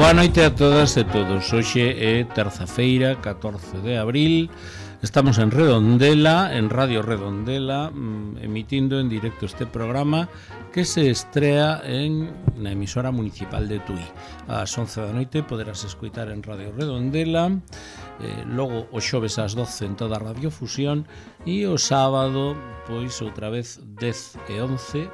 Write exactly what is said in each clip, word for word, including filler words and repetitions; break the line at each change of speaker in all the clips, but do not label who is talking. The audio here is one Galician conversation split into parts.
Boa noite a todas e todos. Hoxe é terza-feira, catorce de abril. Estamos en Redondela, en Radio Redondela, emitindo en directo este programa que se estrea en na emisora municipal de Tui. Ás once da noite poderás escoitar en Radio Redondela, eh, logo o xoves ás doce en toda a radiofusión e o sábado, pois outra vez dez e once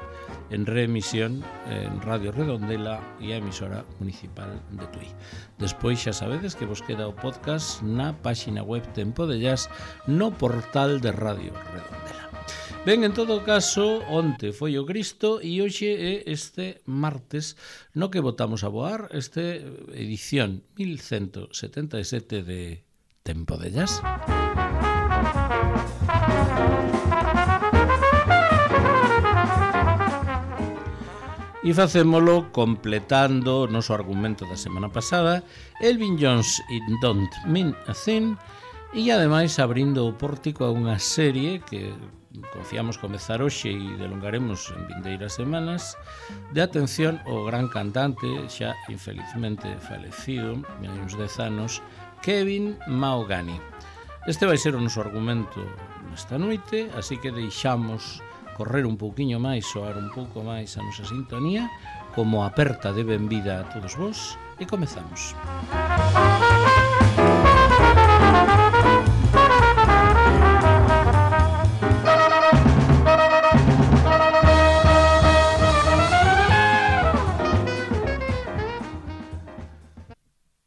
en reemisión en Radio Redondela e a emisora municipal de Tui. Despois xa sabedes que vos queda o podcast na páxina web Tempo de Jazz no portal de Radio Redondela. Ben, en todo caso, onte foi o Cristo e hoxe é este martes no que botamos a voar este edición mil ciento setenta e sete de Tempo de Jazz. E facémolo completando o noso argumento da semana pasada, Elvin Jones It Don't Mean a Thing, e ademais abrindo o pórtico a unha serie que confiamos comezar hoxe e delongaremos en vindeiras semanas, de atención ao gran cantante, xa infelizmente falecido, hai uns dez anos, Kevin Mahogany. Este vai ser o noso argumento nesta noite, así que deixamos correr un pouquiño máis, soar un pouco máis a nosa sintonía, como aperta de benvida a todos vos, e comezamos.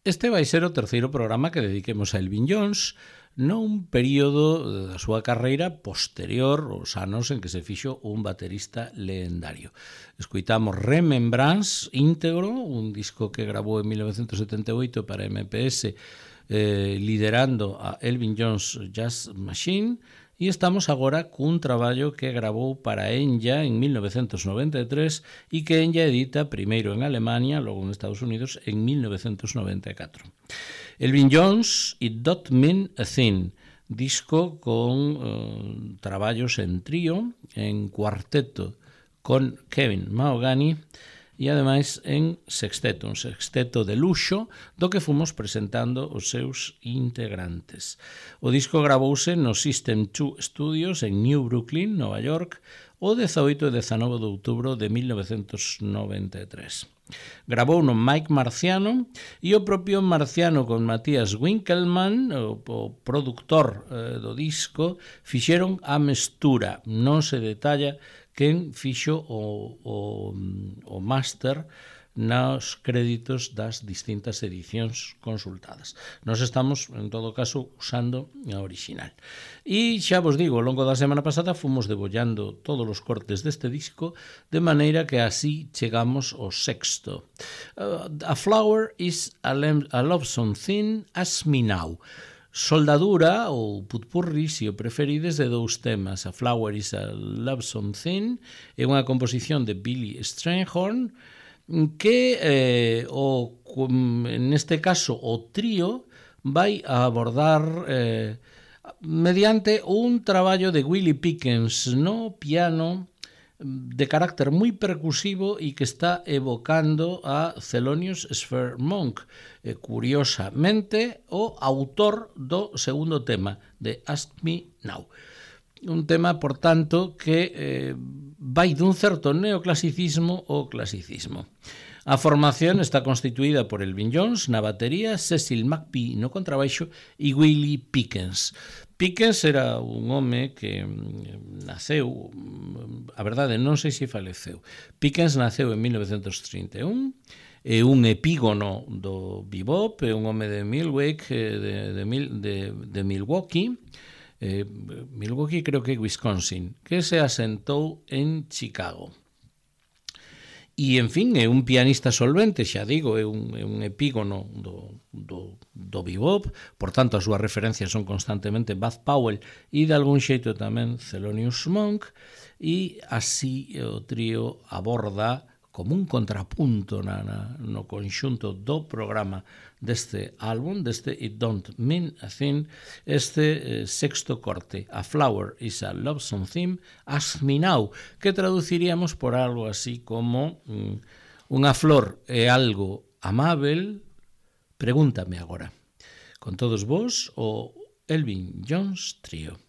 Este vai ser o terceiro programa que dediquemos a Elvin Jones, nun período da súa carreira posterior aos anos en que se fixo un baterista legendario. Escoitamos Remembrance íntegro, un disco que grabou en mil novecentos setenta e oito para M P S, eh, liderando a Elvin Jones Jazz Machine, e estamos agora cun traballo que gravou para Enya en mil novecentos noventa e tres e que Enya edita primeiro en Alemania, logo en Estados Unidos en mil novecentos noventa e catro. Elvin Jones It Don't Mean a Thing, disco con uh, traballos en trío, en cuarteto con Kevin Mahogany e ademais en sexteto, un sexteto de luxo do que fomos presentando os seus integrantes. O disco gravouse no System two Studios en New Brooklyn, Nova York, o dezaoito e dezanove de outubro de mil novecentos noventa e tres. Gravou no Mike Marciano e o propio Marciano con Matías Winkelmann, o, o productor eh, do disco, fixeron a mestura. Non se detalla quen fixo o, o, o máster nos créditos das distintas edicións consultadas. Nos estamos, en todo caso, usando a original. E xa vos digo, ao longo da semana pasada fomos debollando todos os cortes deste disco, de maneira que así chegamos ao sexto. Uh, a Flower is a, a Lonesome Thing, Ask Me Now. Soldadura, ou putpurri, se o preferides, de dous temas. A Flower is a Lonesome Thing é unha composición de Billy Strayhorn, que eh, o, neste caso o trío vai a abordar eh, mediante un traballo de Willie Pickens no piano de carácter moi percusivo e que está evocando a Thelonious Sphere Monk, eh, curiosamente o autor do segundo tema de Ask Me Now. Un tema, por tanto, que eh, vai dun certo neoclasicismo ao clasicismo. A formación está constituída por Elvin Jones na batería, Cecil McPhee no contrabaixo e Willie Pickens. Pickens era un home que naceu, a verdade non sei se faleceu. Pickens naceu en mil novecentos trinta e un, é un epígono do bebop, é un home de Milwaukee, de, de, de, de Milwaukee, Eh, Milwaukee creo que é Wisconsin, que se asentou en Chicago. E, en fin, é un pianista solvente, xa digo, é un, é un epígono do, do, do bebop, por tanto, as súas referencias son constantemente Bud Powell e, de algún xeito, tamén Thelonious Monk, e así o trío aborda como un contrapunto na, na, no conxunto do programa deste álbum, deste It Don't Mean a Thing, este eh, sexto corte, A Flower is a Lonesome Thing, Ask Me Now, que traduciríamos por algo así como mm, unha flor é algo amável, Pregúntame agora. Con todos vos, o Elvin Jones Trío.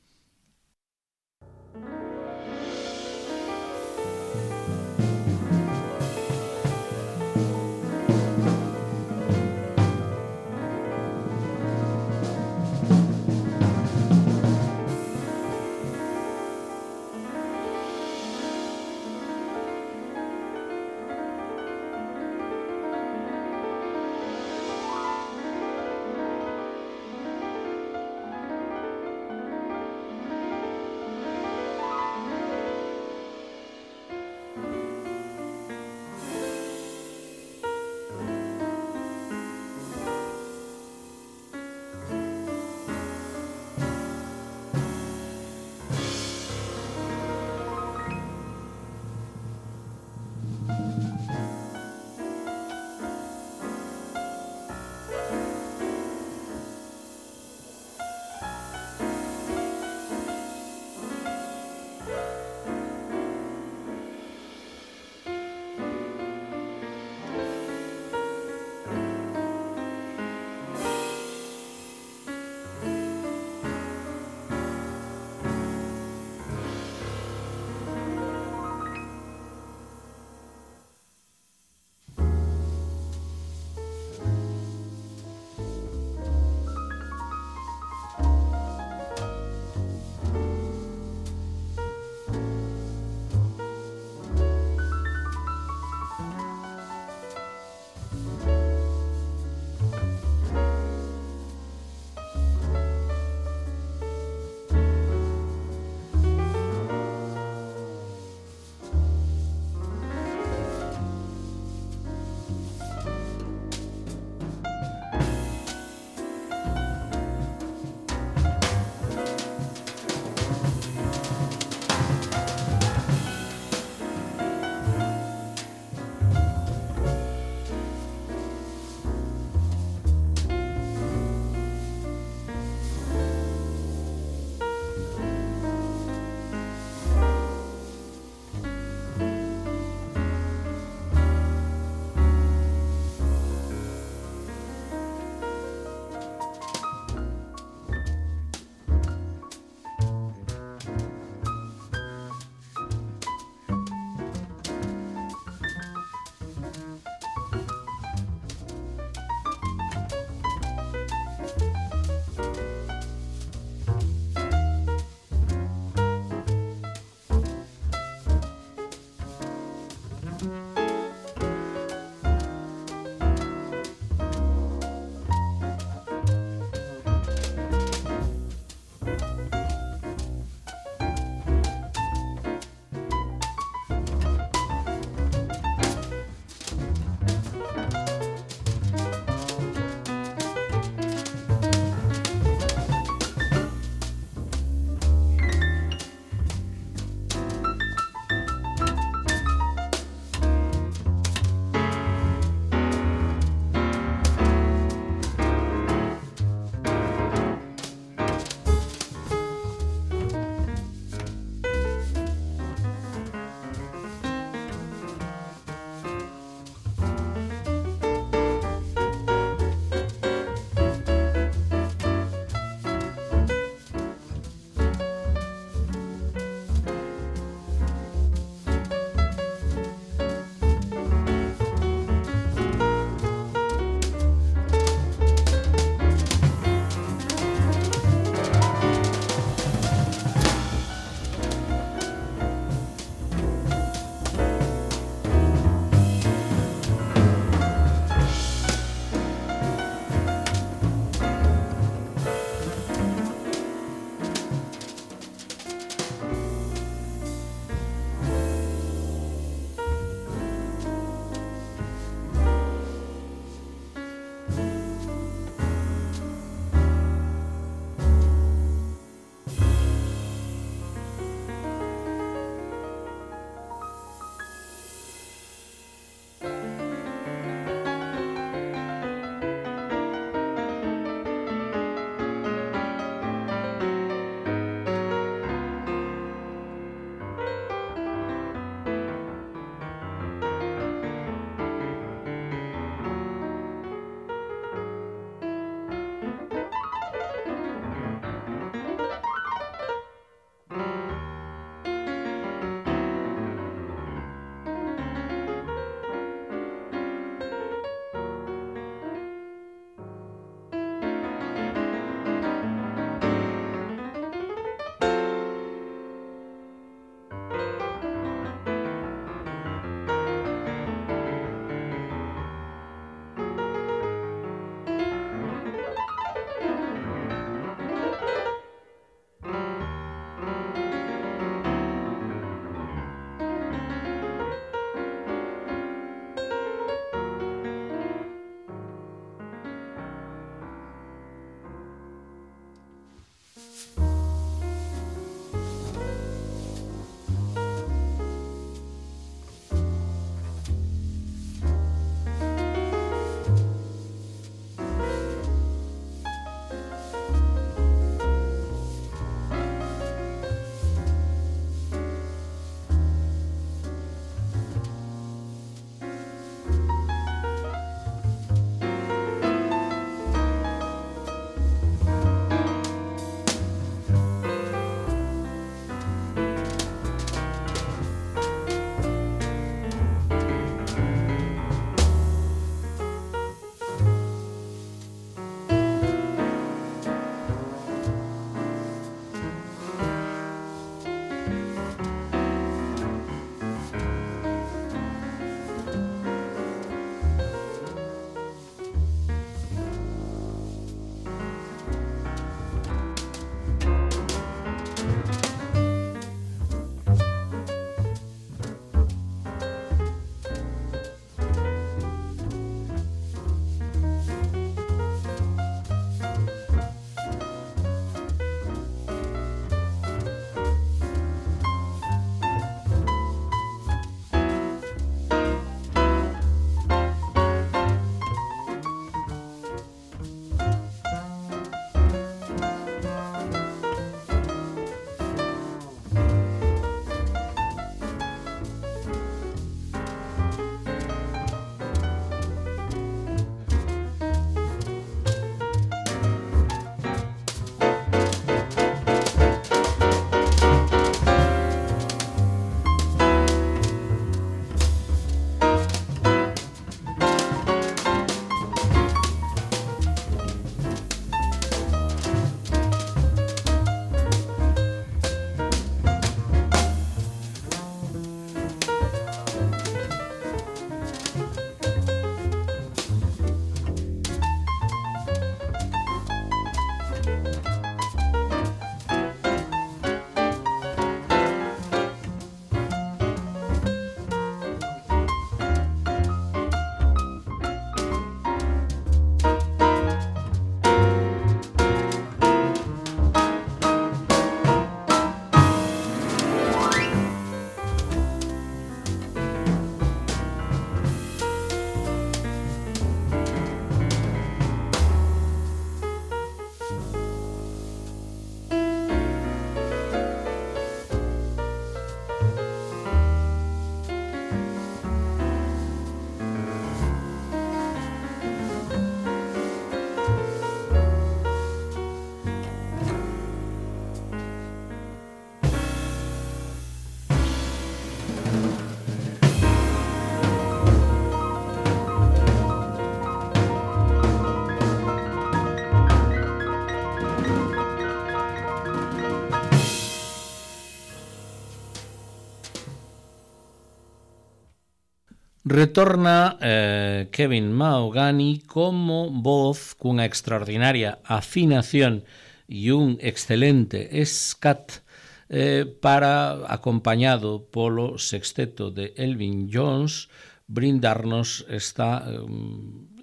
Retorna eh, Kevin Mahogany como voz cunha extraordinaria afinación e un excelente scat eh, para, acompañado polo sexteto de Elvin Jones, brindarnos esta,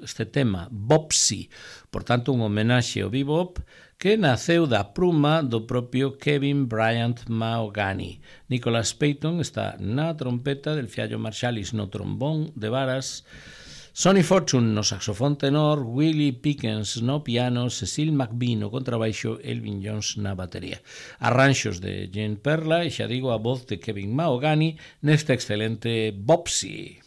este tema, Bopsy, por tanto un homenaxe ao bebop que naceu da pruma do propio Kevin Bryant Mahogany. Nicholas Payton está na trompeta, del Fiallo Marsalis no trombón de varas, Sonny Fortune no saxofón tenor, Willie Pickens no piano, Cecil McBee no contrabaixo, Elvin Jones na batería. Arranxos de Gene Perla e xa digo a voz de Kevin Mahogany neste excelente Bopsy.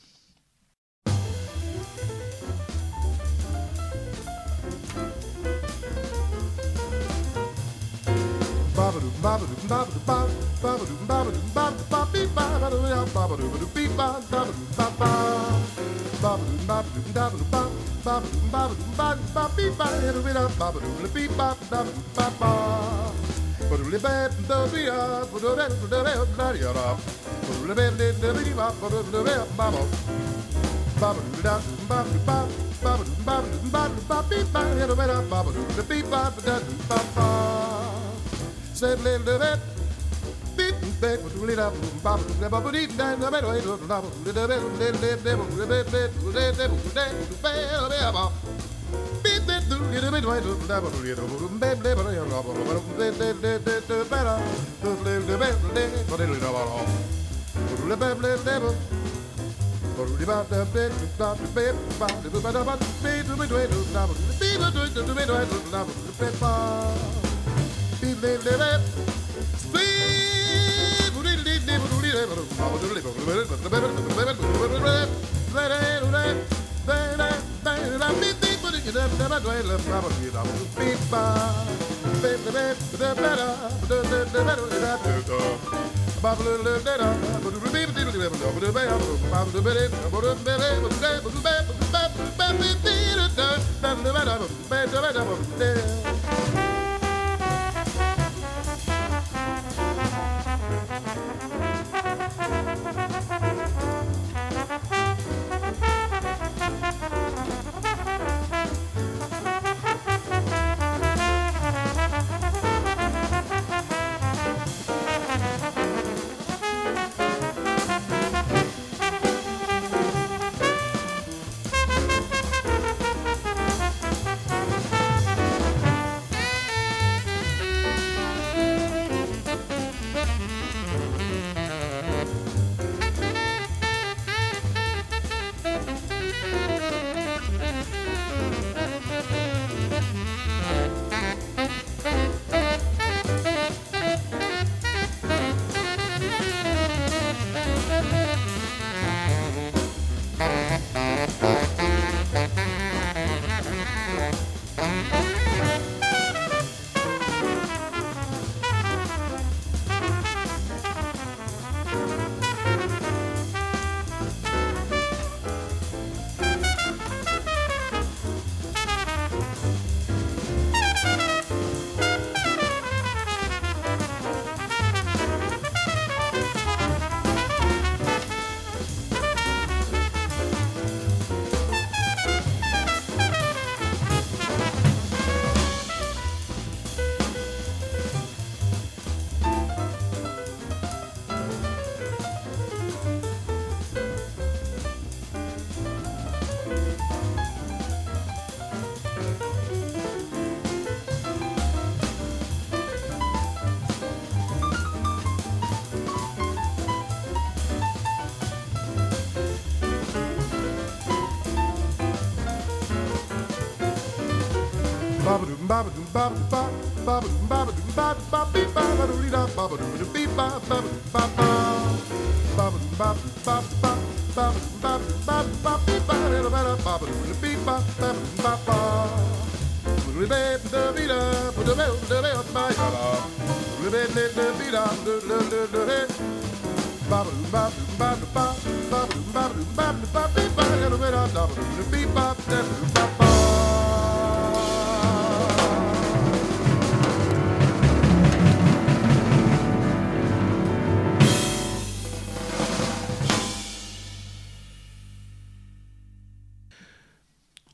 Said little bit, beat back with the little bubble, the bubble deep down the middle, the bubble, the devil, the devil, the devil, the devil, the devil, beat that do little bit, the devil, the devil, the devil, the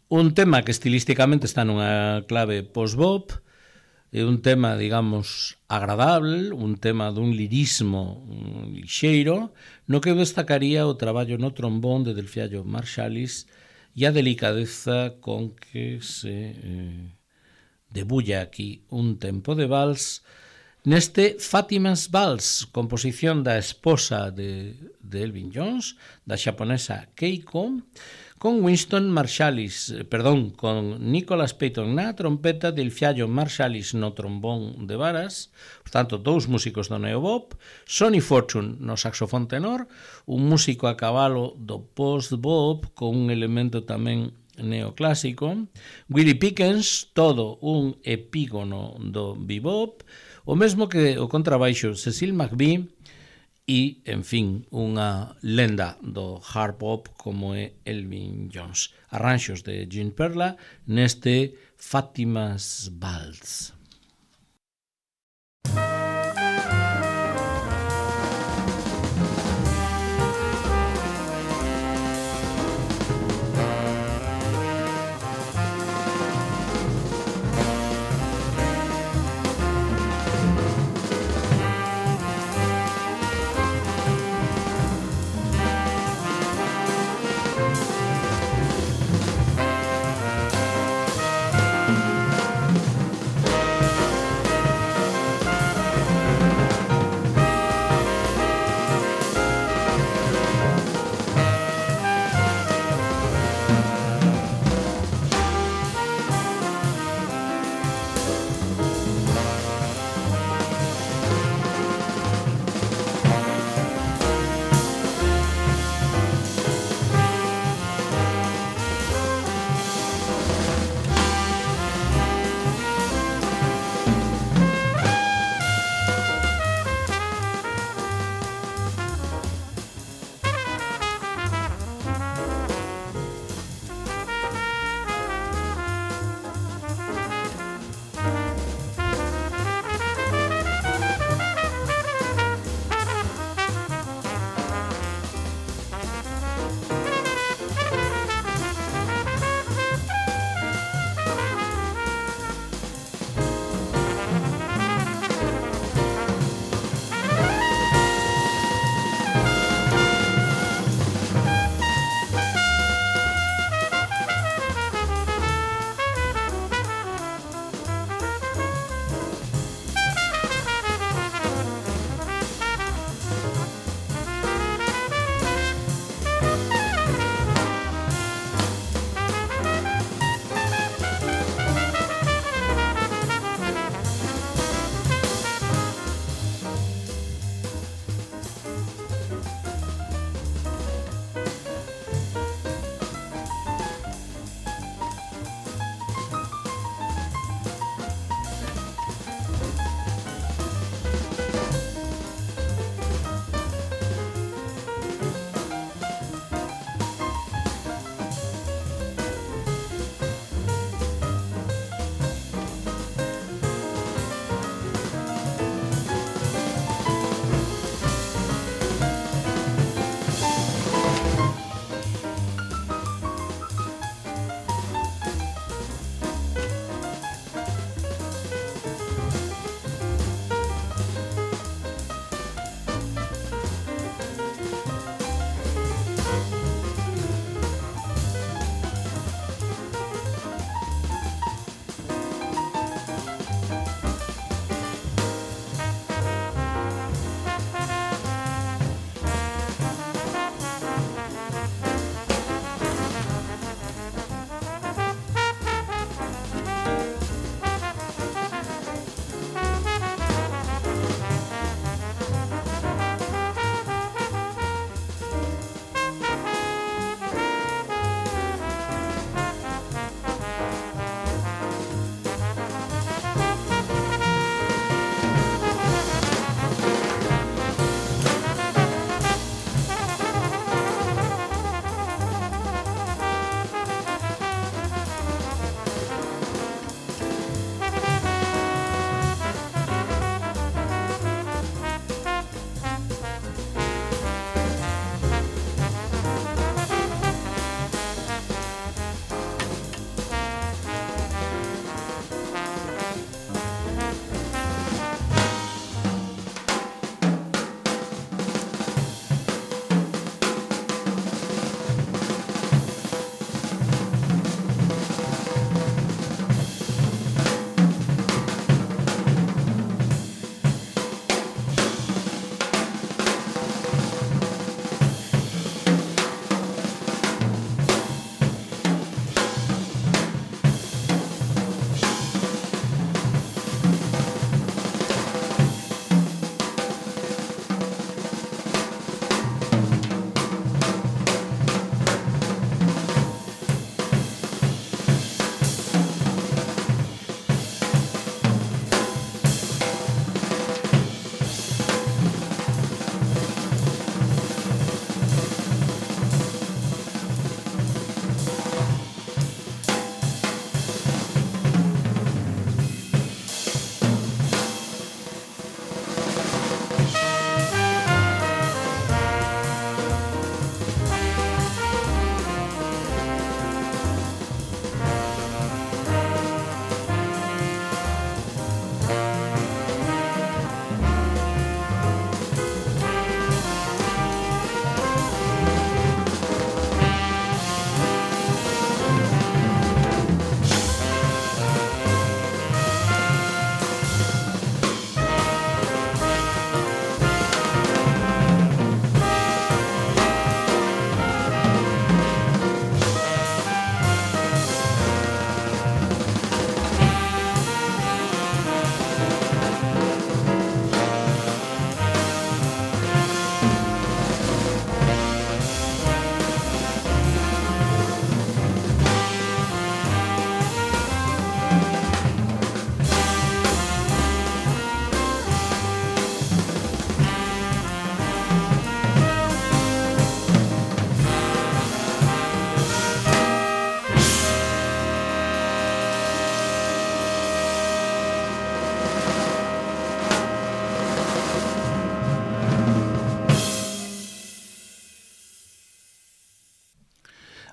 Un tema que estilísticamente está nunha clave post-bop, é un tema, digamos, agradable, un tema dun lirismo lixeiro, no que destacaría o traballo no trombón de Delfiallo Marsalis e a delicadeza con que se eh, debulla aquí un tempo de vals neste Fátima's Vals, composición da esposa de, de Elvin Jones, da xaponesa Keiko, con Winston Marsalis, perdón, con Nicholas Payton na trompeta, Delfiallo Marsalis no trombón de varas, por tanto, dous músicos do neobop, Sonny Fortune no saxofón tenor, un músico a cabalo do post-bop con un elemento tamén neoclásico, Willie Pickens, todo un epígono do bebop, o mesmo que o contrabaixo Cecil McVie, e, en fin, unha lenda do hard bop como é Elvin Jones. Arranxos de Gene Perla neste Fátima's Vals.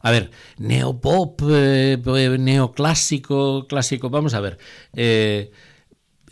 A ver, neopop, eh, neoclásico, clásico, vamos a ver. Eh,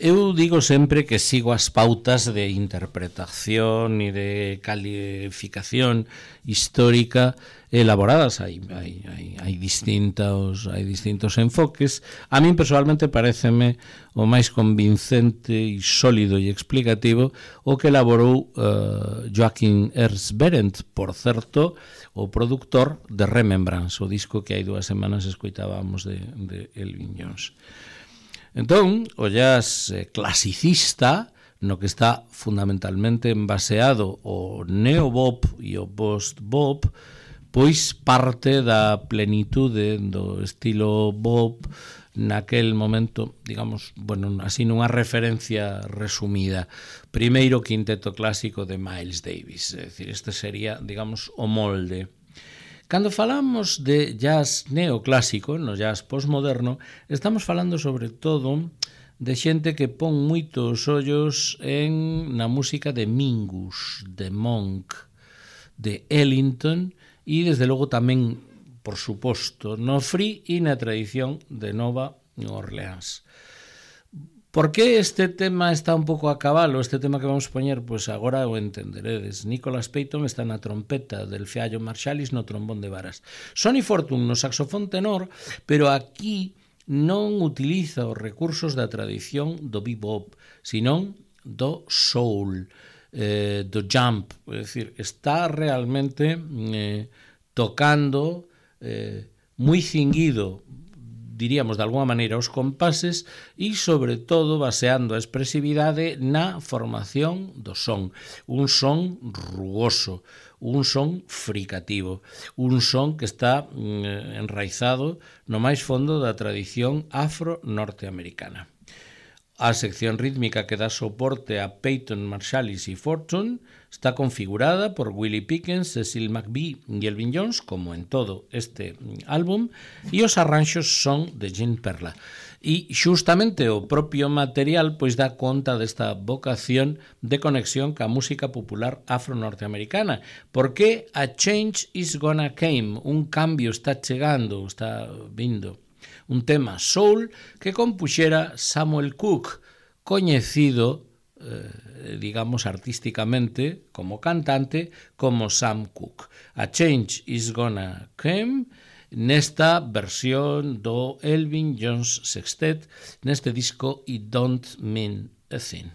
eu digo sempre que sigo as pautas de interpretación e de calificación histórica elaboradas. Hai, hai, hai, hai, distintos, hai distintos enfoques. A min personalmente pareceme o máis convincente e sólido e explicativo o que elaborou uh, Joachim Ernst Berendt, por certo, o produtor de Remembrance, o disco que hai dúas semanas escoitábamos de, de Elvin Jones. Entón, o jazz eh, clasicista, no que está fundamentalmente baseado o neobop e o post-bop, pois parte da plenitude do estilo bop naquel momento, digamos, bueno, así nunha referencia resumida. Primeiro quinteto clásico de Miles Davis, é dicir, este sería, digamos, o molde. Cando falamos de jazz neoclásico, no jazz postmoderno, estamos falando sobre todo de xente que pon moitos ollos en na música de Mingus, de Monk, de Ellington e, desde logo, tamén, por suposto, no free e na tradición de Nova Orleans. Por que este tema está un pouco a cabalo? Este tema que vamos poñer, pois agora o entenderedes. Nicholas Payton está na trompeta, del Fiallo Marsalis no trombón de varas. Sonny Fortune no saxofón tenor, pero aquí non utiliza os recursos da tradición do bebop, senón do soul, eh, do jump. É dicir, está realmente eh, tocando eh, moi cinguido, diríamos de alguma maneira, os compases e, sobre todo, baseando a expresividade na formación do son. Un son rugoso, un son fricativo, un son que está mm, enraizado no máis fondo da tradición afro-norteamericana. A sección rítmica que dá soporte a Payton, Marsalis e Fortune está configurada por Willie Pickens, Cecil McBee e Elvin Jones, como en todo este álbum, e os arranxos son de Gene Perla. E xustamente o propio material pois dá conta desta vocación de conexión ca música popular afro-norteamericana, porque a change is gonna come, un cambio está chegando, está vindo. Un tema soul que compuxera Samuel Cooke, coñecido, eh, digamos, artísticamente como cantante, como Sam Cooke. A Change is Gonna Come, nesta versión do Elvin Jones Sextet, neste disco It Don't Mean a Thing.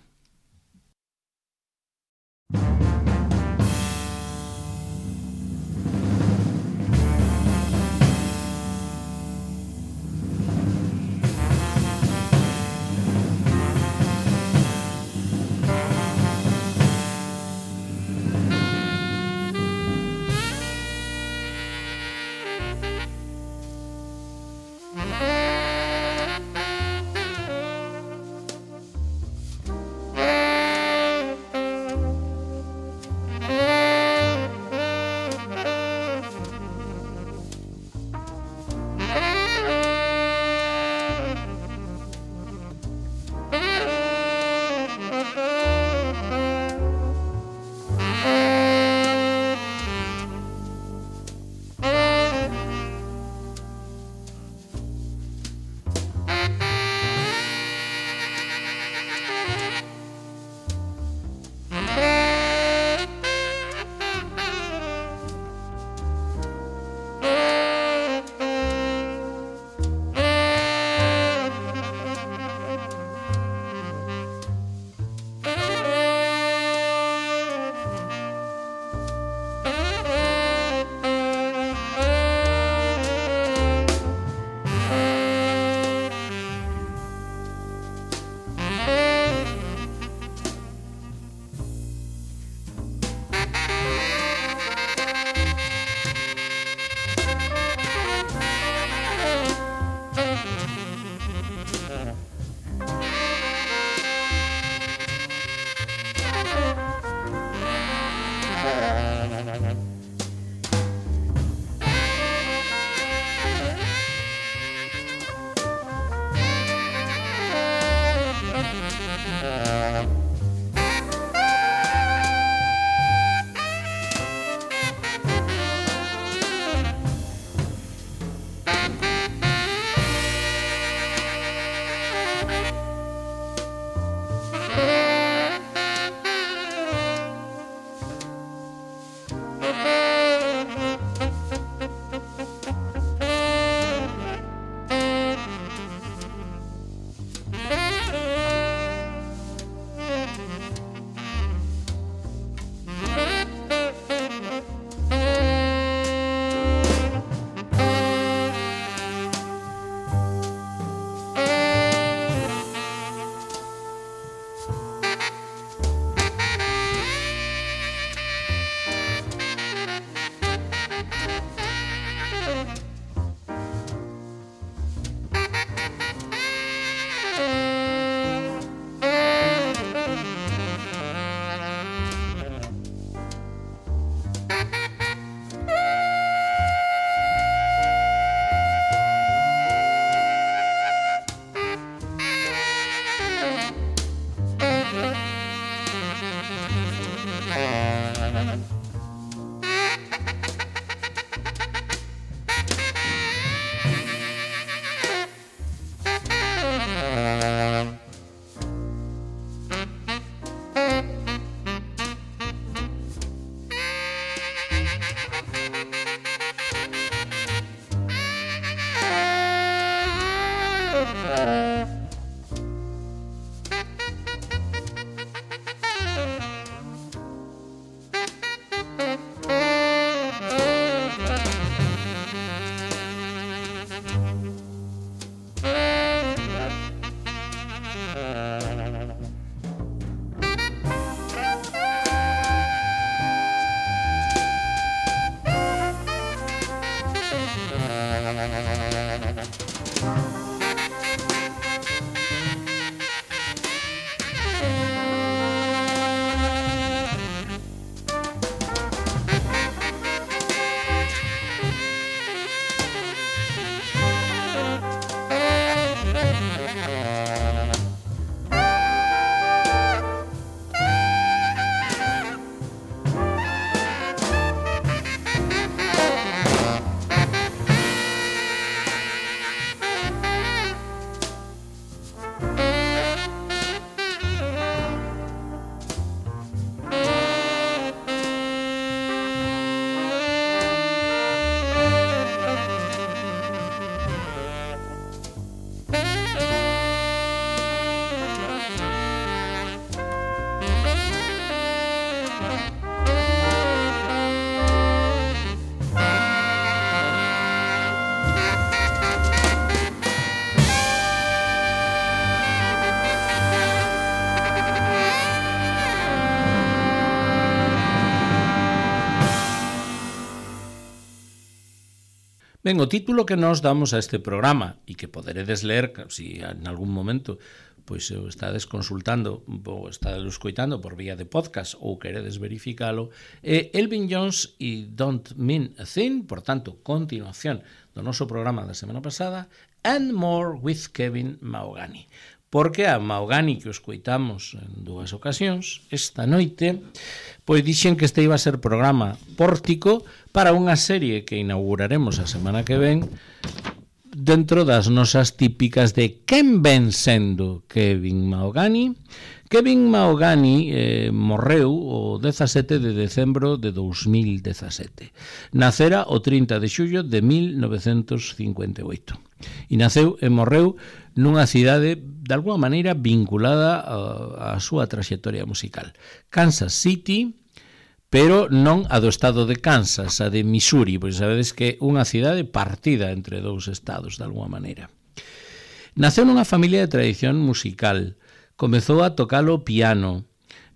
Ben, o título que nos damos a este programa e que poderedes ler se si en algún momento pois o estades consultando ou estades escoitando por vía de podcast ou queredes verificalo, é Elvin Jones e Don't Mean a Thing, por tanto, continuación do noso programa da semana pasada, and more with Kevin Mahogany. Porque a Mahogany que o escoitamos en dúas ocasións, esta noite, pois dixen que este iba a ser programa pórtico para unha serie que inauguraremos a semana que ven dentro das nosas típicas de quen ven sendo Kevin Mahogany. Kevin Mahogany eh, morreu o dezasete de decembro de dous mil dezasete. Nacera o trinta de xullo de mil novecentos cincuenta e oito. E naceu e morreu nunha cidade de alguma maneira vinculada á súa traxectoria musical. Kansas City, pero non a do estado de Kansas, a de Missouri, pois sabedes que é unha cidade partida entre dous estados de alguma maneira. Naceu nunha familia de tradición musical, comezou a tocar o piano,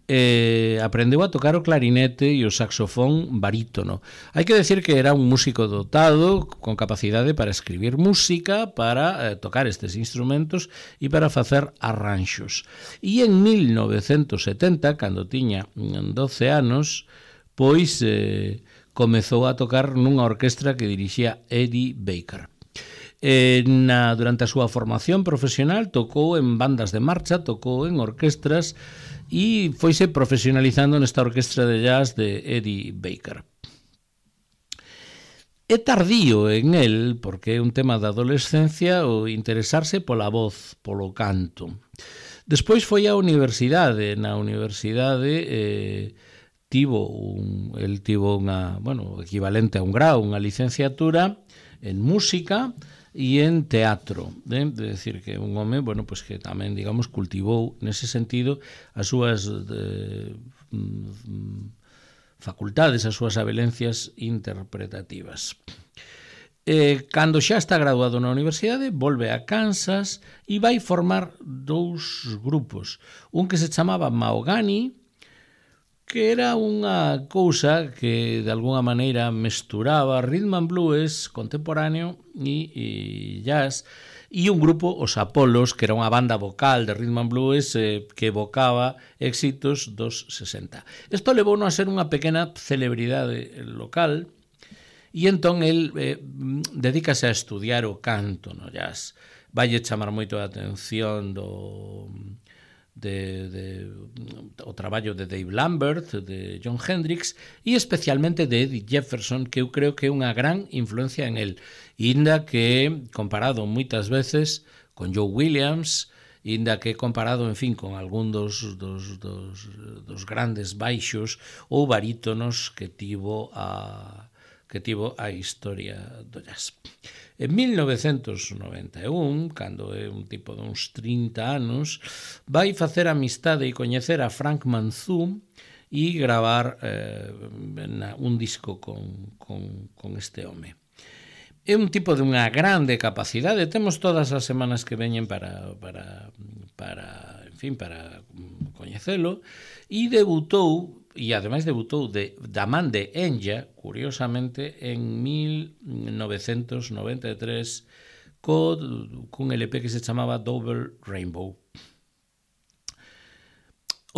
eh, aprendeu a tocar o clarinete e o saxofón barítono. Hai que decir que era un músico dotado, con capacidade para escribir música, para eh, tocar estes instrumentos e para facer arranxos. E en mil novecentos setenta, cando tiña doce anos, pois eh, comezou a tocar nunha orquestra que dirixía Eddie Baker. Eh, na, durante a súa formación profesional tocou en bandas de marcha, tocou en orquestras e foise profesionalizando nesta orquestra de jazz de Eddie Baker. É tardío en el, porque é un tema da adolescencia, o interesarse pola voz, polo canto. Despois foi á universidade, na universidade eh, tivo un, el tivo unha, bueno, equivalente a un grau, unha licenciatura en música e en teatro, eh? De decir que un home, bueno, pues que tamén, digamos, cultivou nese sentido as súas de, mm, facultades, as súas habelencias interpretativas. Eh, cando xa está graduado na universidade, volve a Kansas e vai formar dous grupos, un que se chamaba Mahogany, que era unha cousa que de alguna maneira mesturaba rhythm and blues contemporáneo e, e jazz, e un grupo, os Apolos, que era unha banda vocal de rhythm and blues eh, que evocaba éxitos dos sesenta. Isto levou a ser unha pequena celebridade local, e entón el eh, dedícase a estudiar o canto no jazz. Valle chamar moito a atención do... De, de, o traballo de Dave Lambert, de Jon Hendricks e especialmente de Eddie Jefferson, que eu creo que é unha gran influencia en el, inda que comparado moitas veces con Joe Williams, inda que comparado, en fin, con algún dos, dos, dos, dos grandes baixos ou barítonos que tivo a que tivo a historia do jazz. En mil novecentos noventa e un, cando é un tipo de uns trinta anos, vai facer amistade e coñecer a Frank Manzou e gravar eh, un disco con, con, con este home. É un tipo de unha grande capacidade, temos todas as semanas que veñen para, para, para, en fin, para coñecelo, e debutou, e ademais debutou de, da man de Enya, curiosamente, en mil novecentos noventa e tres, co, cun L P que se chamaba Double Rainbow.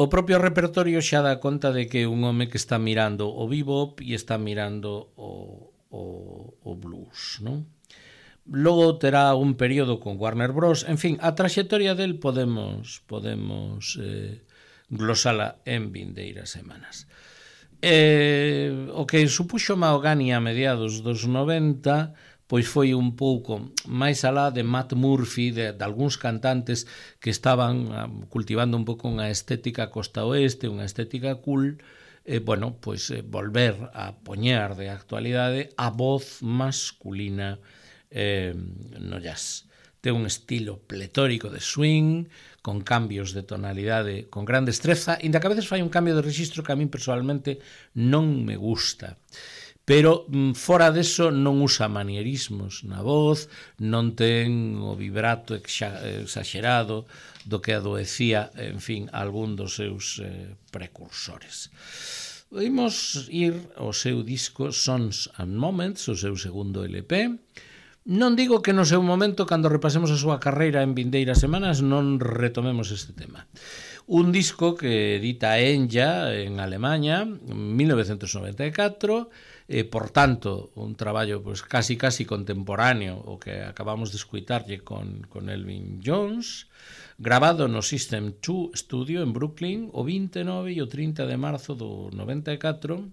O propio repertorio xa dá conta de que é un home que está mirando o bebop e está mirando o, o, o blues, non? Logo terá un período con Warner Bros. En fin, a traxectoria del podemos podemos eh, glosala en vindeiras semanas. Eh, o que supuxo Mahogany a mediados dos noventa pois foi un pouco máis alá de Matt Murphy, de, de algúns cantantes que estaban cultivando un pouco unha estética costa oeste, unha estética cool, eh, bueno, pois eh, volver a poñer de actualidade a voz masculina eh, no jazz. Ten un estilo pletórico de swing, con cambios de tonalidade con gran destreza, inda que a veces fai un cambio de registro que a min personalmente non me gusta. Pero fora deso non usa manierismos na voz, non ten o vibrato exagerado do que adoecía, en fin, algún dos seus eh, precursores. Imos ir ao seu disco Songs and Moments, o seu segundo L P. Non digo que no seu momento, cando repasemos a súa carreira en vindeiras semanas, non retomemos este tema. Un disco que edita Enya en Alemanha en mil novecentos noventa e catro, eh, por tanto, un traballo pues, casi casi contemporáneo o que acabamos de escuitarlle con, con Elvin Jones, grabado no System dos Studio en Brooklyn o vinte e nove e o trinta de marzo do noventa e catro,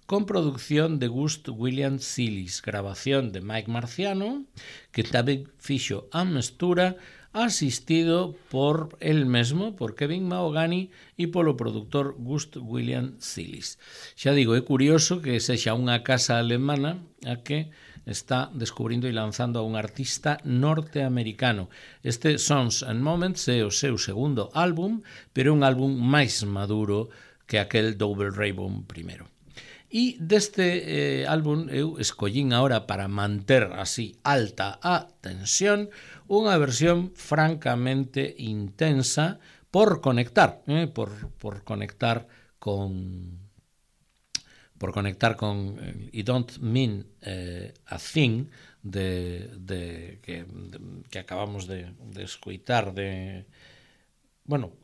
con producción de Gus William Sillis, grabación de Mike Marciano, que tamén fixo a mestura, asistido por el mesmo, por Kevin Mahogany e polo productor Gus William Sillis. Xa digo, é curioso que sexa unha casa alemana a que está descubrindo e lanzando a un artista norteamericano. Este Songs and Moments é o seu segundo álbum, pero é un álbum máis maduro que aquel Double Rainbow primeiro. E deste eh, álbum eu escollín agora para manter así alta a tensión unha versión francamente intensa por conectar, eh, por, por conectar con por conectar con eh, I Don't Mean eh, a Thing de, de, que, de, que acabamos de, de escoitar de, bueno,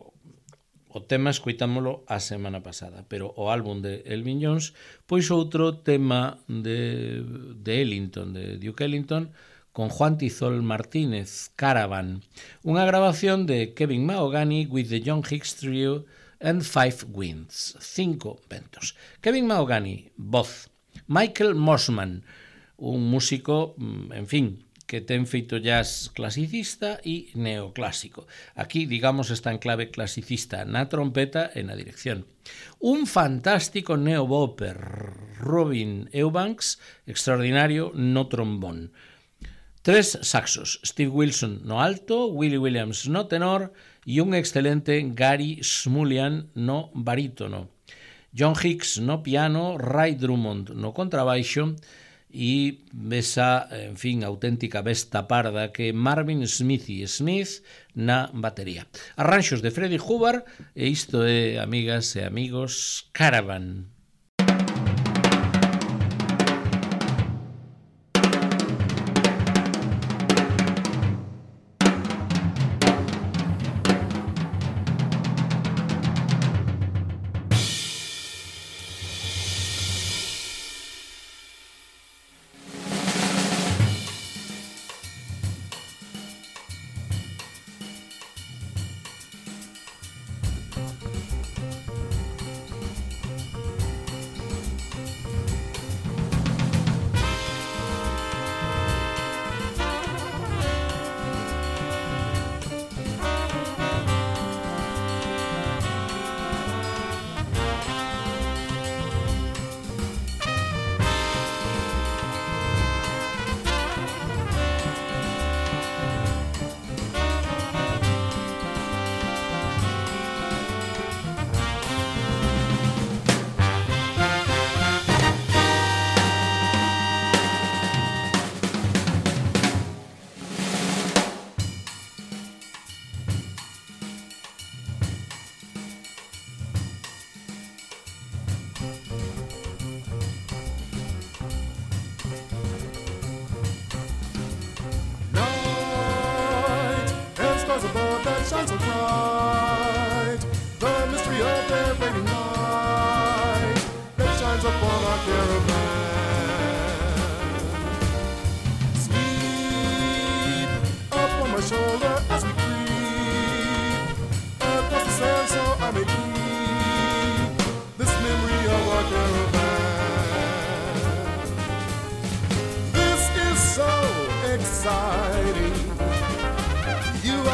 o tema escoitámolo a semana pasada, pero o álbum de Elvin Jones, pois outro tema de, de Ellington, de Duke Ellington, con Juan Tizol Martínez, Caravan, unha grabación de Kevin Mahogany with the John Hicks Trio and Five Winds, cinco ventos. Kevin Mahogany, voz. Michael Mosman, un músico, en fin, que ten feito jazz clasicista e neoclásico. Aquí, digamos, está en clave clasicista na trompeta e na dirección. Un fantástico neobopper, Robin Eubanks, extraordinario no trombón. Tres saxos, Steve Wilson no alto, Willie Williams no tenor e un excelente Gary Smulyan no barítono. John Hicks no piano, Ray Drummond no contrabaixo e esa, en fin, auténtica besta parda que Marvin Smithy Smith na batería. Arranxos de Freddie Hubbard e isto é, amigas e amigos, Caravan.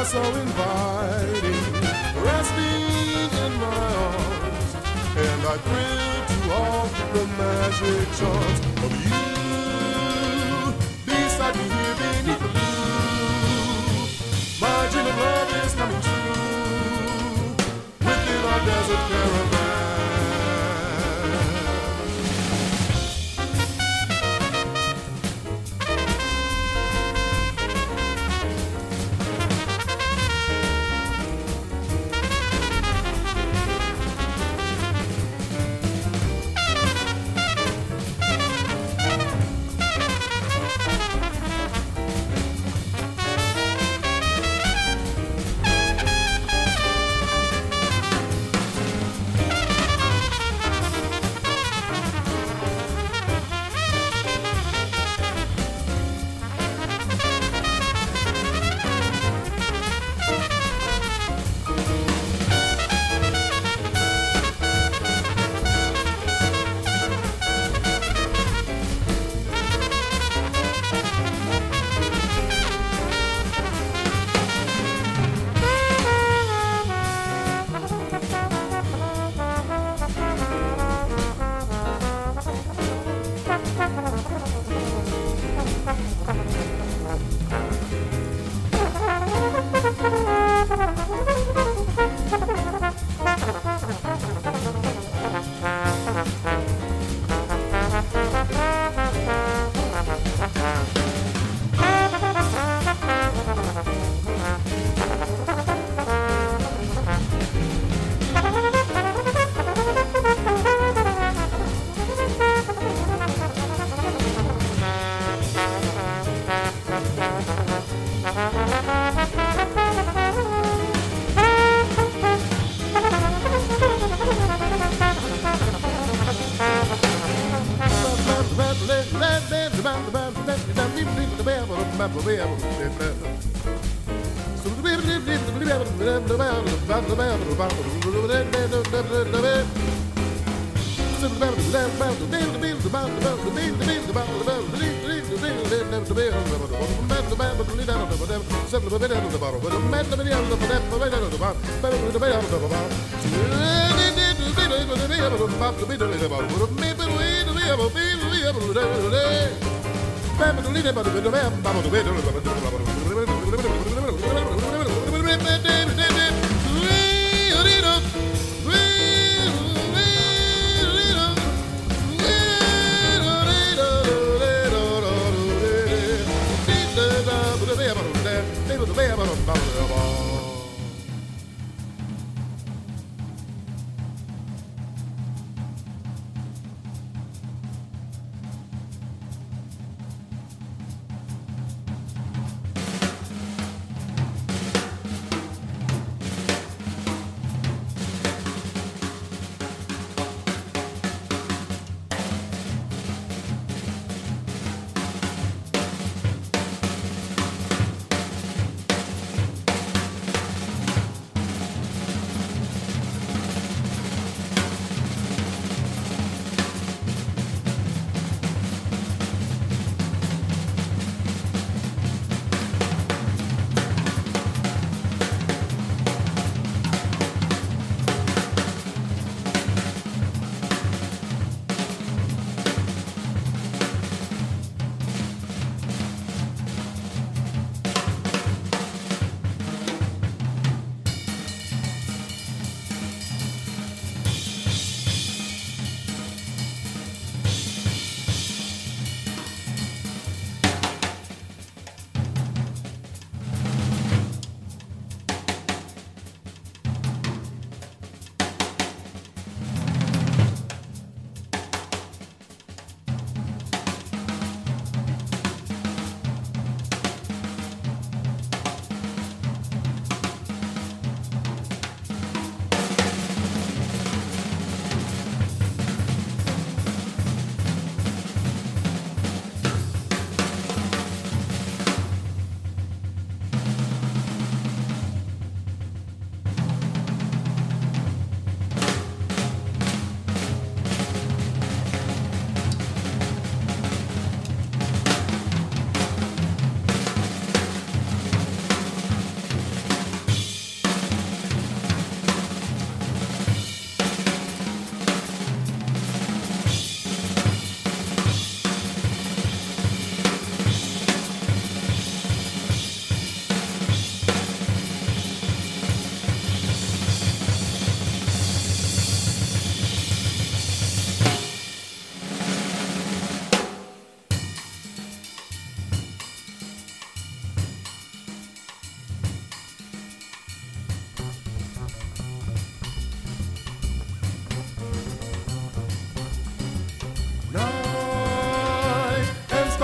are so inviting, resting in my arms, and I thrill to all the magic charms of you. Beside me here beneath the blue, my dream of love is coming true within our desert caravan.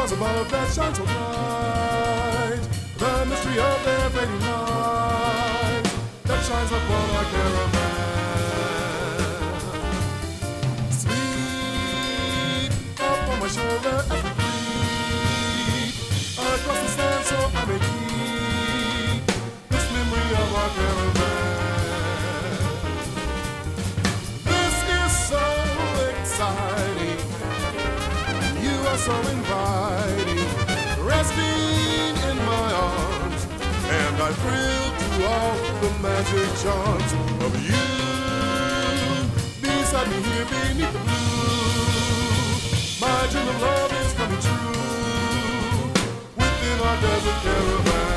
stars above that shine so bright, the mystery of their fading light that shines upon our caravan. Sleep up on my shoulder as we creep across the sand, so I may keep this memory of our caravan. This is so exciting, you are so inviting, resting in my arms, and I thrill to all the magic charms of you beside me here beneath the blue. My dream of love is coming true within our desert caravan.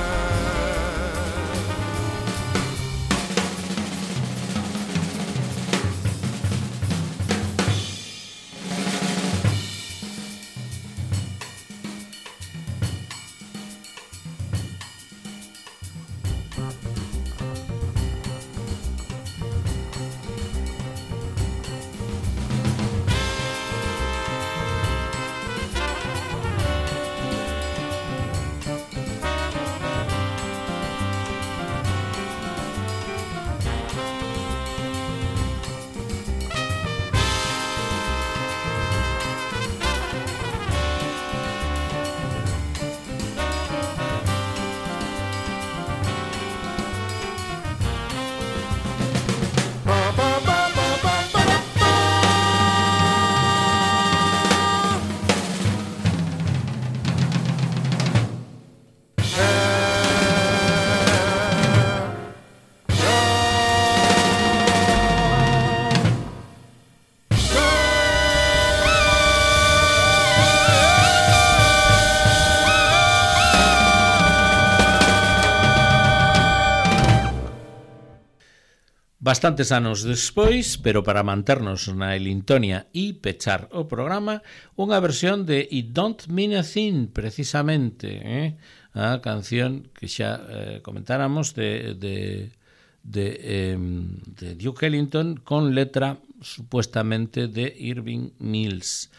Bastantes anos despois, pero para manternos na Elintonia e pechar o programa, unha versión de It Don't Mean a Thing, precisamente, eh? A canción que xa eh, comentáramos de, de, de, eh, de Duke Ellington con letra supuestamente de Irving Mills.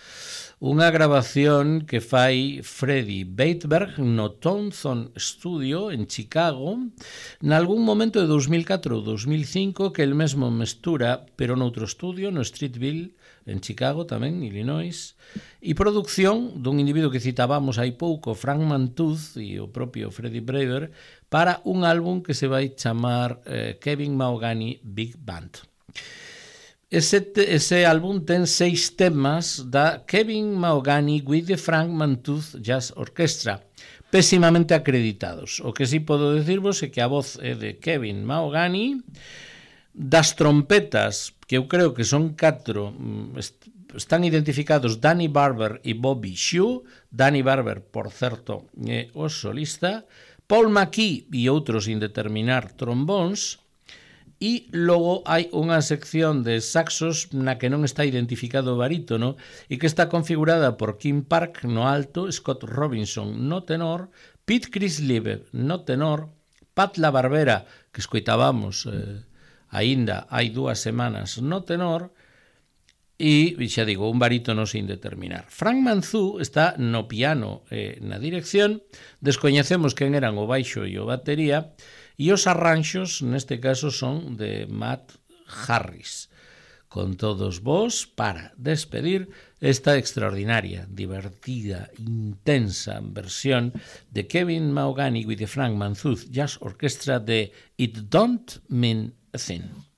Unha grabación que fai Freddie Weitberg no Townsend Studio en Chicago nalgún momento de dos mil catro ou dos mil cinco, que el mesmo mestura, pero noutro estudio, no Streetville, en Chicago tamén, Illinois, e produción dun individuo que citábamos hai pouco, Frank Mantooth, e o propio Freddie Brewer, para un álbum que se vai chamar eh, Kevin Mahogany Big Band. Ese, ese álbum ten seis temas da Kevin Mahogany with the Frank Mantooth Jazz Orchestra, pésimamente acreditados. O que sí podo decirvos é que a voz é de Kevin Mahogany, das trompetas, que eu creo que son catro, están identificados Danny Barber e Bobby Shue. Danny Barber, por certo, é o solista, Paul McKee e outros sin determinar trombóns. E logo hai unha sección de saxos na que non está identificado o barítono e que está configurada por Kim Park no alto, Scott Robinson no tenor, Pete Crisleve no tenor, Pat La Barbera, que escoitábamos eh, aínda hai dúas semanas no tenor, e, xa digo, un barítono sin determinar. Frank Mantooth está no piano e eh, na dirección, descoñecemos quen eran o baixo e o batería, e os arranxos, neste caso, son de Matt Harris. Con todos vos, para despedir esta extraordinaria, divertida, intensa versión de Kevin Mahogany with the Frank Mantooth Jazz Orchestra de It Don't Mean a Thing.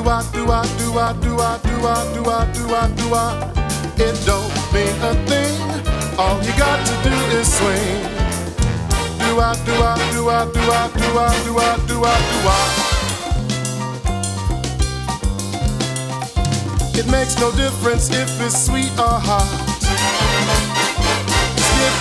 Do-I, do-I, do-I, do-I, do-I, do-I, do-I. It don't mean a thing. All you got to do is swing. Do-I, do-I, do-I, do-I, do-I, do-I, do-I, do-I. It makes no difference if it's sweet or hot. Just give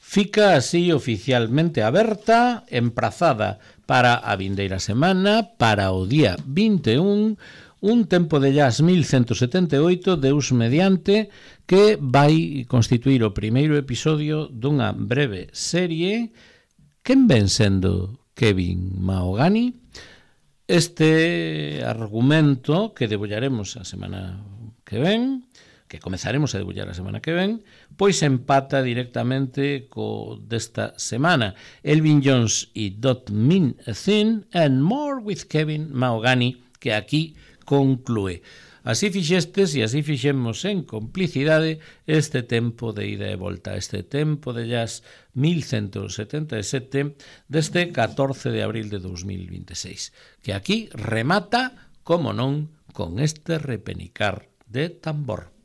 Fica así oficialmente aberta, emprazada para a vindeira semana, para o día vinte e un, un tempo de jazz mil ciento setenta e oito, Deus mediante, que vai constituir o primeiro episodio dunha breve serie. Quen ven sendo Kevin Mahogany? Este argumento que debullaremos a semana que ven, que comezaremos a debullar a semana que ven, pois empata directamente co desta semana. Elvin Jones e Don't Mean a Thing and More with Kevin Mahogany, que aquí conclúe. Así fixestes e así fixemos en complicidade este tempo de ida e volta, este tempo de jazz mil ciento setenta e sete deste catorce de abril de dos mil vinte e seis, que aquí remata, como non, con este repenicar de tambor.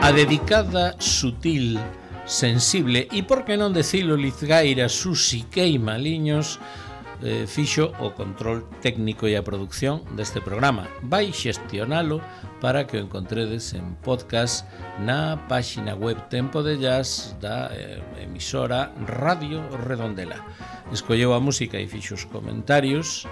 A dedicada, sutil, sensible e, por que non decilo, lizgaira Susi Queimaliños eh, fixo o control técnico e a producción deste programa. Vai xestionalo para que o encontredes en podcast na páxina web Tempo de Jazz da eh, emisora Radio Redondela. Escolleu a música e fixo os comentarios,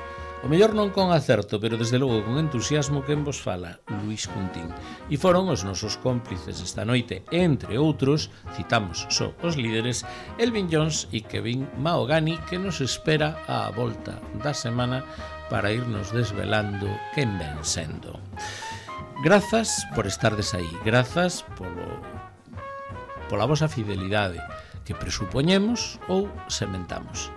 o mellor non con acerto, pero desde logo con entusiasmo, quen vos fala, Luís Cuntín. E foron os nosos cómplices esta noite, entre outros, citamos só os líderes, Elvin Jones e Kevin Mahogany, que nos espera á volta da semana para irnos desvelando quen ven sendo. Grazas por estardes aí, grazas polo, pola vosa fidelidade, que presupoñemos ou sementamos.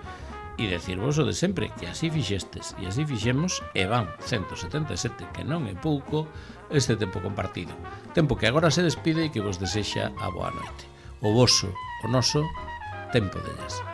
E decirvos o de sempre, que así fixestes e así fixemos, e van ciento setenta e sete, que non é pouco, este tempo compartido. Tempo que agora se despide e que vos desexa a boa noite. O voso, o noso, Tempo de Jazz.